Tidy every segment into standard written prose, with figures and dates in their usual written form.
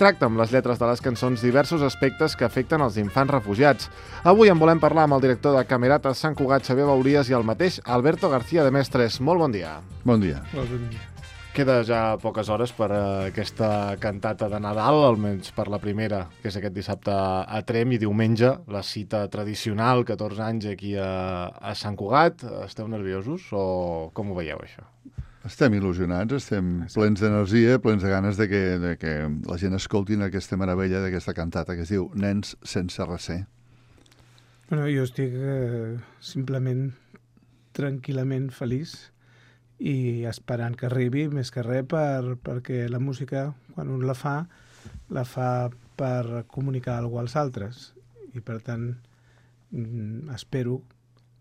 Tracta amb les lletres de les cançons diversos aspectes que afecten els infants refugiats. Avui en volem parlar amb el director de Camerata Sant Cugat, Xavier Bauries, i el mateix Alberto García de Mestres. Molt bon dia. Bon dia. Queda ja poques hores per aquesta cantata de Nadal, almenys per la primera, que és aquest dissabte a Tremp, i diumenge, la cita tradicional, 14 anys aquí a Sant Cugat. Esteu nerviosos o com ho veieu, això? Estem il·lusionats, estem plens d'energia, plens de ganes de que la gent escoltin aquesta meravella d'aquesta cantata que es diu Nens sense recer. Bueno, jo estic simplement tranquil·lament feliç i esperant que arribi, més que res, perquè la música, quan un la fa per comunicar alguna cosa als altres. I, per tant, espero,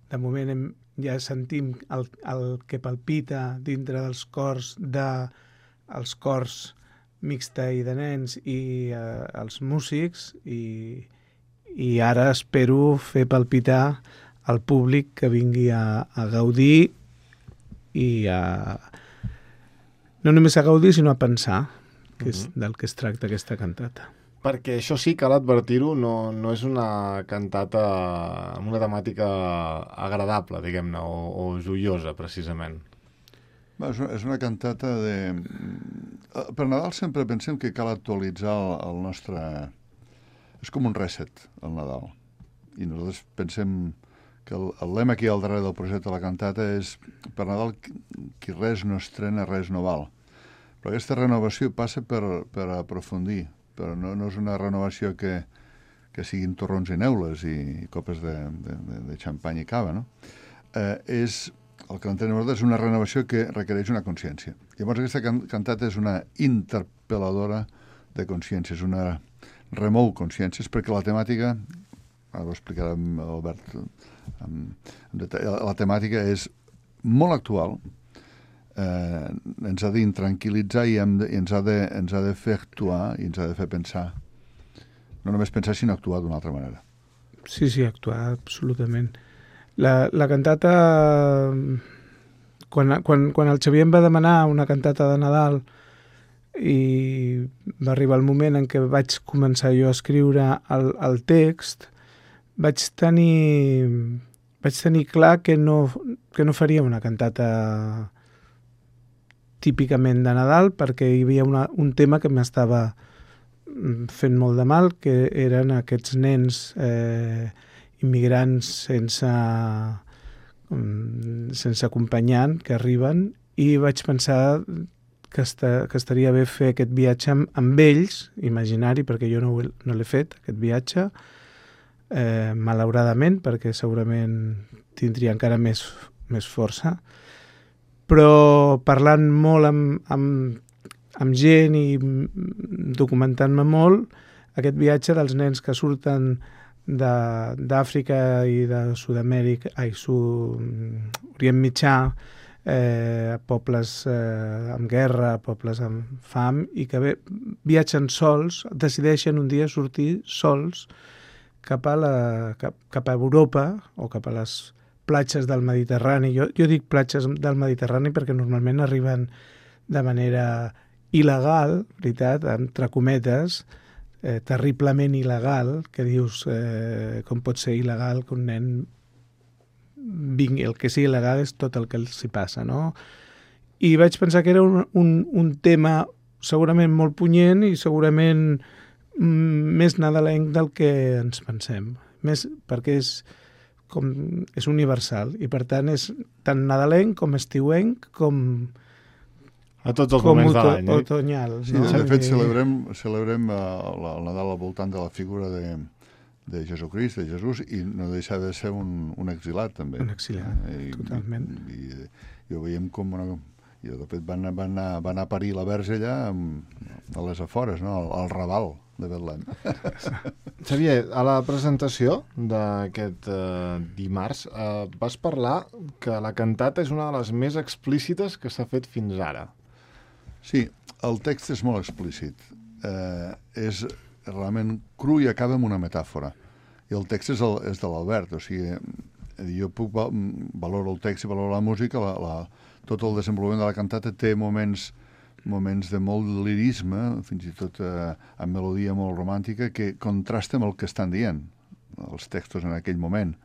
de moment ja sentim el que palpita dintre dels cors els cors mixta i de nens i els músics, i ara espero fer palpitar el públic que vingui a gaudir i no només a gaudir, sinó a pensar, que és del que es tracta aquesta cantata. Perquè això sí, cal advertir-ho, no és una cantata amb una temàtica agradable, diguem-ne, o joiosa, precisament. És una cantata de... Per Nadal sempre pensem que cal actualitzar el nostre... És com un reset, el Nadal. I nosaltres pensem que el lema aquí al darrere del projecte de la cantata és per Nadal qui res no estrena, res no val. Però aquesta renovació passa per aprofundir, però no és una renovació que siguin torrons i neules i copes de xampany i cava, no? El que entenem nosaltres és una renovació que requereix una consciència. Llavors aquesta cantata és una interpel·ladora de consciències, una remou consciències, perquè la temàtica, ara ho explicarà Albert en detall, la temàtica és molt actual, ens ha d'intranquil·litzar i ens ha de fer actuar i ens ha de fer pensar. No només pensar, sinó actuar d'una altra manera. Sí, actuar, absolutament. La cantata... Quan el Xavier em va demanar una cantata de Nadal i va arribar el moment en què vaig començar jo a escriure el text, vaig tenir clar que no faria una cantata típicament de Nadal, perquè hi havia un tema que m'estava fent molt de mal, que eren aquests nens immigrants sense acompanyant que arriben, i vaig pensar que estaria bé fer aquest viatge amb ells, imaginari, perquè jo no l'he fet, aquest viatge, malauradament, perquè segurament tindria encara més força, però parlant molt amb gent i documentant-me molt, aquest viatge dels nens que surten d'Àfrica i de Sud-amèrica, Orient Mitjà, pobles amb guerra, pobles amb fam, i que viatgen sols, decideixen un dia sortir sols cap a Europa o cap a les platges del Mediterrani. Jo dic platges del Mediterrani perquè normalment arriben de manera il·legal, veritat, entre cometes, terriblement il·legal, que dius com pot ser il·legal que un nen vingui. El que sigui il·legal és tot el que els hi passa, no? I vaig pensar que era un tema segurament molt punyent i segurament més nadalenc del que ens pensem, més perquè és universal i per tant és tan nadalenc com estiuenc com a tots els moments de l'any. Otoñal. Sí, no? De fet celebrem el Nadal al voltant de la figura de Jesucrist, de Jesús, i no deixa de ser un exilat també. Un exilat, totalment. I ho veiem com i de fet van anar a parir la Verge allà a les afores, no? Al Raval de Betlem. Xavier, a la presentació d'aquest dimarts vas parlar que la cantata és una de les més explícites que s'ha fet fins ara. Sí, el text és molt explícit. És realment cru i acaba amb una metàfora. I el text és de l'Albert, o sigui, jo valoro el text i valoro la música, tot el desenvolupament de la cantata té moments moments de molt lirisme, fins i tot amb melodia molt romàntica, que contrasta amb el que estan dient els textos en aquell moment.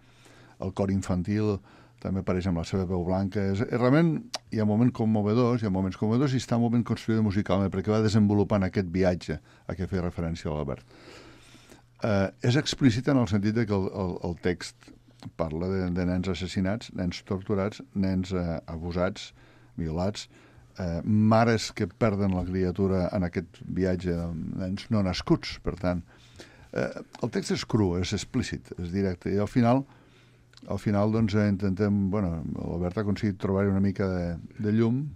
El cor infantil també apareix amb la seva veu blanca. Realment hi ha moments conmovedors i està molt ben construïda musicalment perquè va desenvolupant aquest viatge a què feia referència l'Albert. És explícita en el sentit que el text parla de nens assassinats, nens torturats, nens abusats, violats, mares que perden la criatura en aquest viatge de nens no nascuts. Per tant, el text és cru, és explícit, és directe. I al final doncs, intentem... l'Albert ha aconseguit trobar-hi una mica de llum.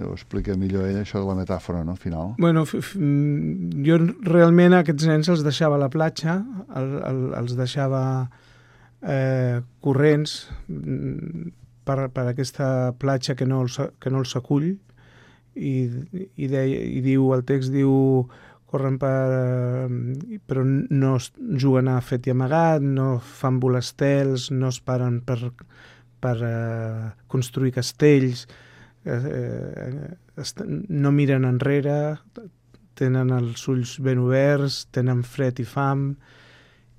Ho explica millor ell, això de la metàfora, no?, final. Jo realment aquests nens els deixava a la platja, els deixava corrents per aquesta platja que no els acull, i el text diu corren però no juguen a fet i amagat, no fan volastels, no es paren per construir castells, no miren enrere, tenen els ulls ben oberts, tenen fred i fam,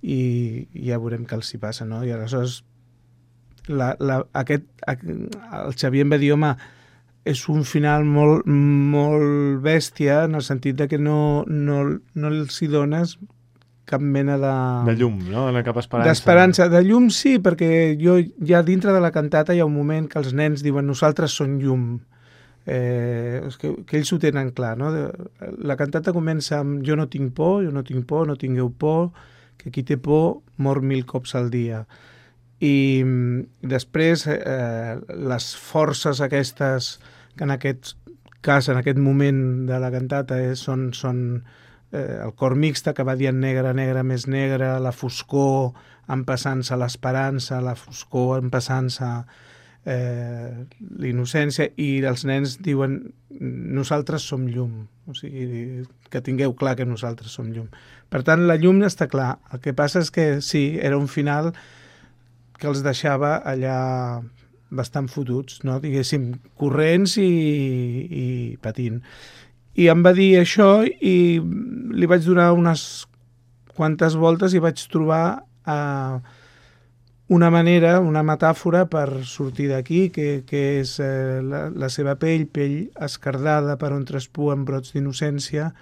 i ja veurem què els hi passa, no? I aleshores el Xavier em va dir, home, és un final molt, molt bèstia, en el sentit de que no els hi dones cap mena de llum, no? Cap esperança. D'esperança. De llum sí, perquè ja dintre de la cantata hi ha un moment que els nens diuen nosaltres som llum. Que ells ho tenen clar, no? La cantata comença amb jo no tinc por, no tingueu por, que qui té por mor 1000 cops al dia. I després les forces aquestes que en aquest cas, en aquest moment de la cantata són el cor mixta que va dient negre, negre, més negre, la foscor empassant-se l'esperança, la foscor empassant-se l'innocència, i els nens diuen nosaltres som llum, o sigui, que tingueu clar que nosaltres som llum. Per tant, la llum està clar. El que passa és que sí, era un final que els deixava allà bastant fotuts, no? Diguéssim, corrents i patint. I em va dir això i li vaig donar unes quantes voltes i vaig trobar una manera, una metàfora per sortir d'aquí, que és la seva pell escardada per on traspuen brots d'innocència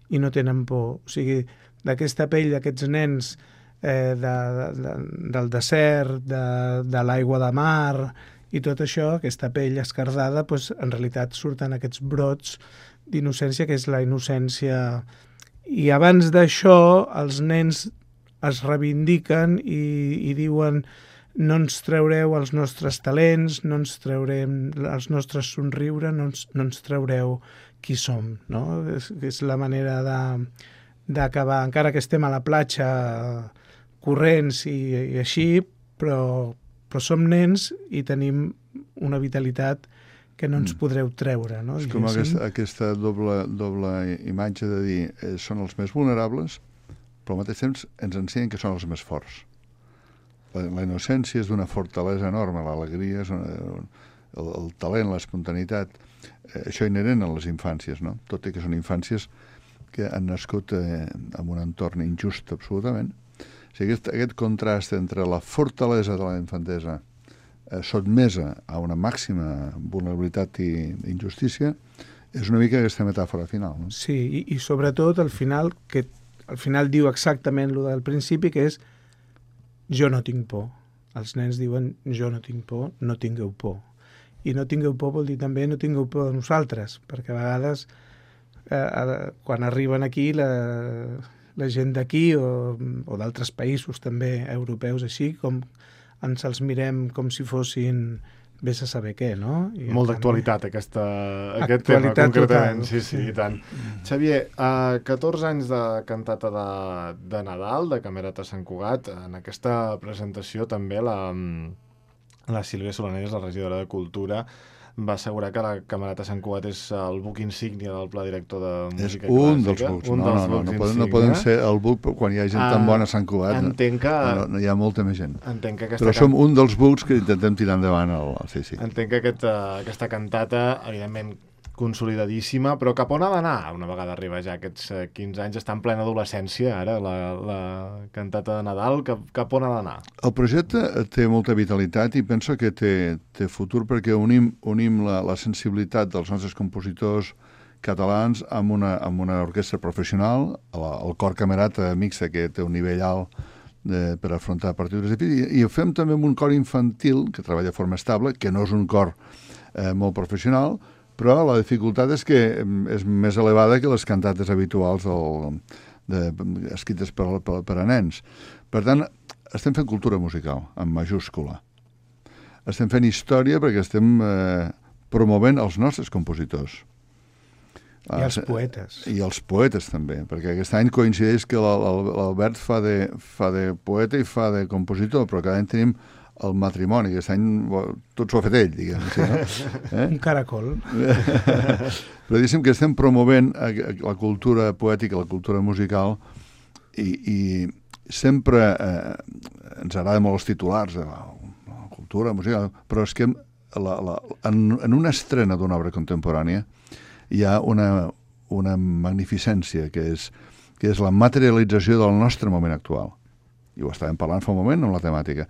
i no tenen por. O sigui, d'aquesta pell d'aquests nens del desert, de l'aigua de mar i tot això, aquesta pell escardada, doncs, en realitat surten aquests brots d'innocència, que és la innocència. I abans d'això els nens es reivindiquen i diuen no ens traureu els nostres talents, no ens traurem els nostres somriure, no ens traureu qui som, no? És la manera d'acabar, encara que estem a la platja corrents i així, però som nens i tenim una vitalitat que no ens podreu treure, no? És com aquesta doble imatge de dir són els més vulnerables, però al mateix temps ens ensenyen que són els més forts. La innocència és d'una fortalesa enorme, l'alegria és el talent, l'espontaneïtat, això inherent a les infàncies, no? Tot i que són infàncies que han nascut en un entorn injust absolutament. O sigui, aquest contrast entre la fortalesa de la infantesa sotmesa a una màxima vulnerabilitat i injustícia és una mica aquesta metàfora final, no? Sí, i sobretot al final, que al final diu exactament el del principi, que és jo no tinc por. Els nens diuen jo no tinc por, no tingueu por. I no tingueu por vol dir també no tingueu por de nosaltres, perquè a vegades quan arriben aquí la gent d'aquí o d'altres països també europeus així, com ens els mirem com si fossin vés a saber què, no? Molt d'actualitat aquest tema concretament, total. Sí, i tant. Xavier, 14 anys de cantata de Nadal, de Camerata Sant Cugat. En aquesta presentació també la Sílvia Solanelles, la regidora de Cultura, va assegurar que la Camerata Sant Cugat és el buc insígnia del Pla Director de Música Clàssica. És un dels bucs. No poden ser el buc quan hi ha gent tan bona a Sant Cugat. Entenc que... No, hi ha molta més gent. Però som un dels bucs que intentem tirar endavant. Sí. Entenc que aquesta cantata, evidentment, consolidadíssima, però cap on ha d'anar una vegada arriba ja aquests 15 anys? Està en plena adolescència ara, la cantata de Nadal, cap on ha d'anar? El projecte té molta vitalitat i penso que té futur perquè unim la sensibilitat dels nostres compositors catalans amb una orquestra professional, el cor camerata mixta, que té un nivell alt per afrontar partitures difícils, i ho fem també amb un cor infantil que treballa de forma estable, que no és un cor molt professional, però la dificultat és que és més elevada que les cantates habituals escrites per a nens. Per tant, estem fent cultura musical, en majúscula. Estem fent història perquè estem promovent els nostres compositors. I els poetes. I els poetes també, perquè aquest any coincideix que l'Albert fa de poeta i fa de compositor, però cada any tenim el matrimoni, aquest any tot s'ho ha fet ell, diguem. Sí, no? Un caracol. Però diguéssim que estem promovent la cultura poètica, la cultura musical, i sempre ens agrada molt els titulars de la cultura musical, però és que en una estrena d'una obra contemporània hi ha una magnificència que és la materialització del nostre moment actual. I ho estàvem parlant fa un moment amb la temàtica.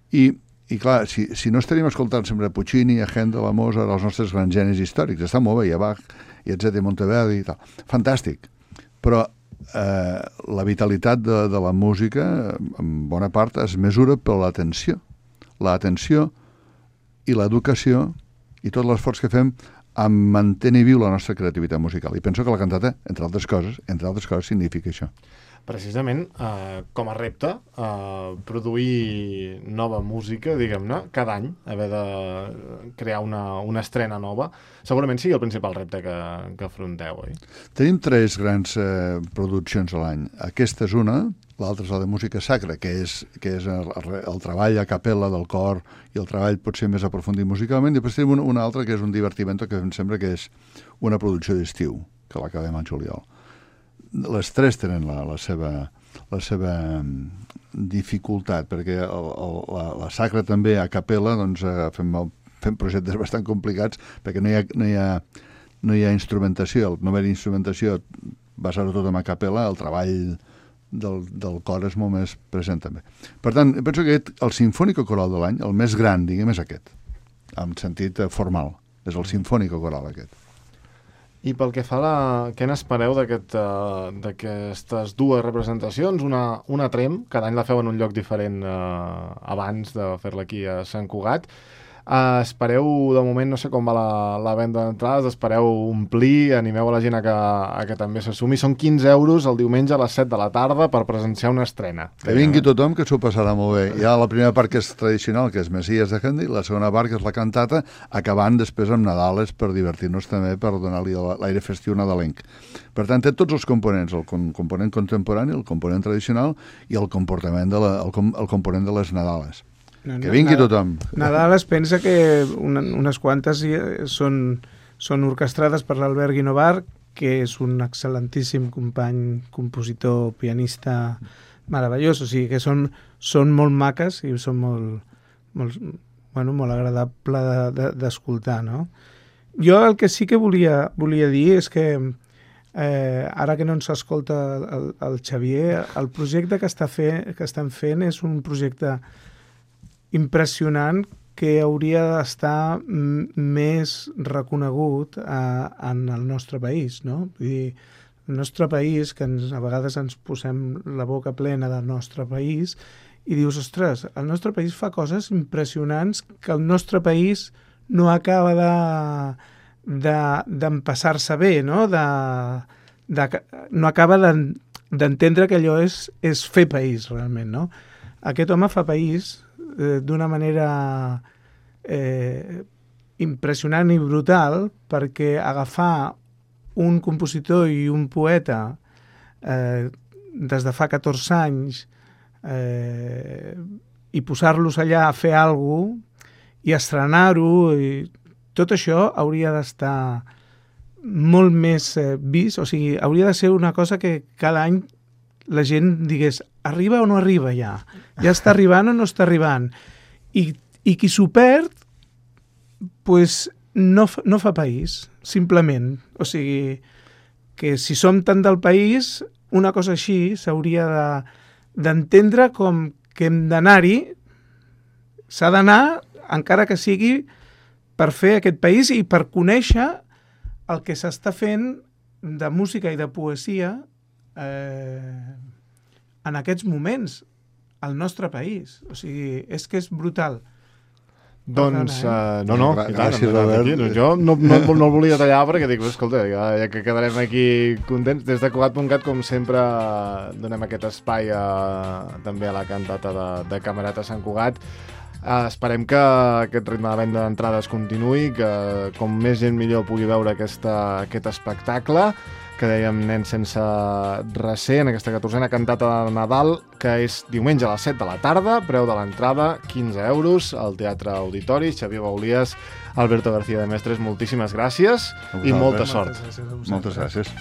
I clar, si no estaríem escoltant sempre Puccini, a Händel, a Mozart, els nostres grans genis històrics, està molt bé, i a Bach, i etc., Monteverdi i tal. Fantàstic. Però la vitalitat de la música, en bona part, es mesura per l'atenció. L'atenció i l'educació i tot l'esforç que fem a mantenir viu la nostra creativitat musical. I penso que la cantata, entre altres coses, significa això. Precisament, com a repte, produir nova música, diguem-ne, cada any, haver de crear una estrena nova, segurament sigui el principal repte que afronteu, oi? Tenim 3 grans produccions a l'any. Aquesta és una, l'altra és la de música sacra, que és el treball a capella del cor i el treball potser més aprofundit musicalment, i després tenim una altra que és un divertimento que em sembla que és una producció d'estiu, que l'acabem al juliol. Les 3 tenen la seva dificultat, perquè la sacra també a capella doncs, fem projectes bastant complicats perquè no hi ha instrumentació. No haver instrumentació, basar-ho tot en a capella, el treball del cor és molt més present també. Per tant, penso que el Sinfònico Coral de l'any, el més gran, diguem, és aquest, en sentit formal. És el Sinfònico Coral aquest. I pel que fa què n'espereu d'aquestes 2 representacions? Una Trem, cada any la feu en un lloc diferent abans de fer-la aquí a Sant Cugat. Espereu, de moment, no sé com va la venda d'entrades, espereu omplir, animeu a la gent a que també s'assumi. Són 15 euros el diumenge a les 7 de la tarda per presenciar una estrena. Que vingui tothom, que s'ho passarà molt bé. Hi ha la primera part que és tradicional, que és Messies de Händel, i la segona part que és la cantata, acabant després amb Nadales per divertir-nos també, per donar-li l'aire festiu nadalenc. Per tant, té tots els components, el component contemporani, el component tradicional i el component de les Nadales. Que vingui tothom. Nadal es pensa que unes quantes són orquestrades per l'Albert Guinovar, que és un excel·lentíssim company, compositor, pianista meravellós. O sigui que són molt maques i són molt agradable d'escoltar, no? Jo el que sí que volia dir és que ara que no ens escolta el Xavier, el projecte que estan fent és un projecte impressionant que hauria d'estar més reconegut en el nostre país, no? Vull dir, el nostre país, que a vegades ens posem la boca plena del nostre país i dius, ostres, el nostre país fa coses impressionants que el nostre país no acaba d'empassar-se bé, no? No acaba d'entendre que allò és fer país, realment, no? Aquest home fa país d'una manera impressionant i brutal, perquè agafar un compositor i un poeta des de fa 14 anys i posar-los allà a fer alguna cosa i estrenar-ho, i tot això hauria d'estar molt més vist, o sigui, hauria de ser una cosa que cada any la gent digués, arriba o no arriba ja? Ja està arribant o no està arribant? I qui s'ho perd, pues, no fa país. simplement. O sigui, que si som tant del país, una cosa així s'hauria d'entendre com que hem d'anar-hi, s'ha d'anar, encara que sigui per fer aquest país i per conèixer el que s'està fent de música i de poesia en aquests moments al nostre país. O sigui, és que és brutal. Doncs, no, Gràcies, Robert. Jo no el volia tallar perquè dic, escolta, ja que quedarem aquí contents. Des de Cugat.cat, com sempre, donem aquest espai també a la cantata de Camerata Sant Cugat. Esperem que aquest ritme de venda d'entrades continuï, que com més gent millor pugui veure aquest espectacle, que dèiem Nens sense recer, en aquesta 14a cantata de Nadal, que és diumenge a les 7 de la tarda, preu de l'entrada 15 euros, al Teatre Auditori. Xavier Baulies, Alberto García de Mestres, moltíssimes gràcies i molta sort. Moltes gràcies.